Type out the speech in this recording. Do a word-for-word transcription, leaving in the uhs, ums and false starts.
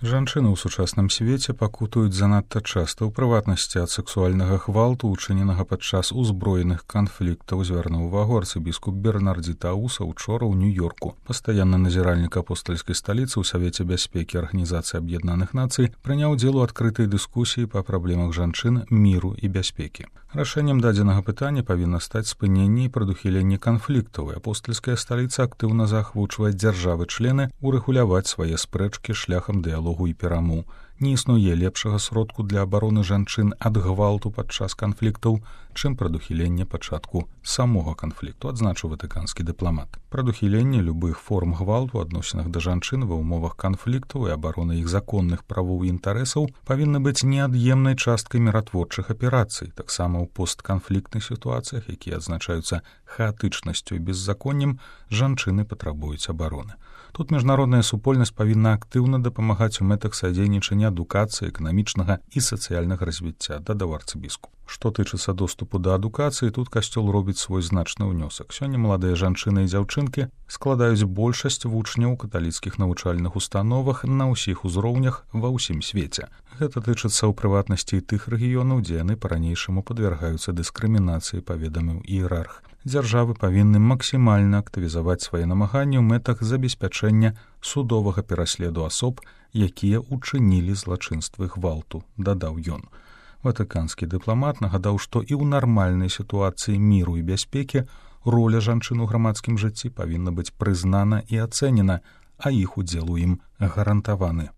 Жанчыны ў сучасным свеце пакутуюць занадта часта, ў прыватнасці ад сексуальнага гвалту, учыненага падчас узброеных канфліктаў, звярнуў увагу арцыбіскуп Бернардзі Тауса учора ў Нью-Йорку. Пастаянны назіральнік апостальскай сталіцы ў Савеце бяспекі Арганізацыі Аб'яднаных Нацый прыняў удзел у адкрытай дыскусіі па праблемах жанчын, міру і бяспекі. Рашэннем дадзенага пытання павінна стаць спыненне і прадухіленне канфліктаў, і апостальская сталіца актыўна заахвочвае дзяржавы-члены урэгуляваць свае спрэчкі шляхам дыялогу і перамоў. Не існуе лепшага сродку для абароны жанчын ад гвалту падчас канфліктаў, чым прадухіленне пачатку самога канфлікту, адзначыў ватыканскі дыпламат. Прадухіленне любых форм гвалту у адносінах да жанчын ва ўмовах канфліктаў і абарона іх законных правоў і інтарэсаў павінна быць неад'емнай часткай міратворчых аперацый, таксама ў постканфліктных сітуацыях, якія адзначаюцца хаатычнасцю і беззаконнем, жанчыны патрабуюць абароны. Тут міжнародная супольнасць павінна актыўна дапамагаць у мэтах садзейнічання адукацыі, эканамічнага і сацыяльнага развіцця, дадаў арцыбіскуп. Што тычыцца доступу да адукацыі, тут касцёл робіць свой значны ўнёсак. Сёння маладыя жанчыны і дзяўчынкі складаюць большасць вучняў у каталіцкіх навучальных установах на ўсіх узроўнях ва ўсім свеце. Гэта тычыцца ў прыватнасці і тых рэгіёнаў, дзе яны па-ранейшаму падвяргаюцца дыскрымінацыі, паведаміў іерарх. Дзяржавы павінны максімальна актывізаваць свае намаганні ў мэтах забеспячэння судовага пераследу асоб, якія ўчынілі злачынствы гвалту, дадаў ён. Ватыканскі дыпламат нагадаў, што і ў нармальнай сітуацыі міру і бяспекі роля жанчын у грамадскім жыцці павінна быць прызнана і ацэнена, а іх удзел у ім гарантаваны.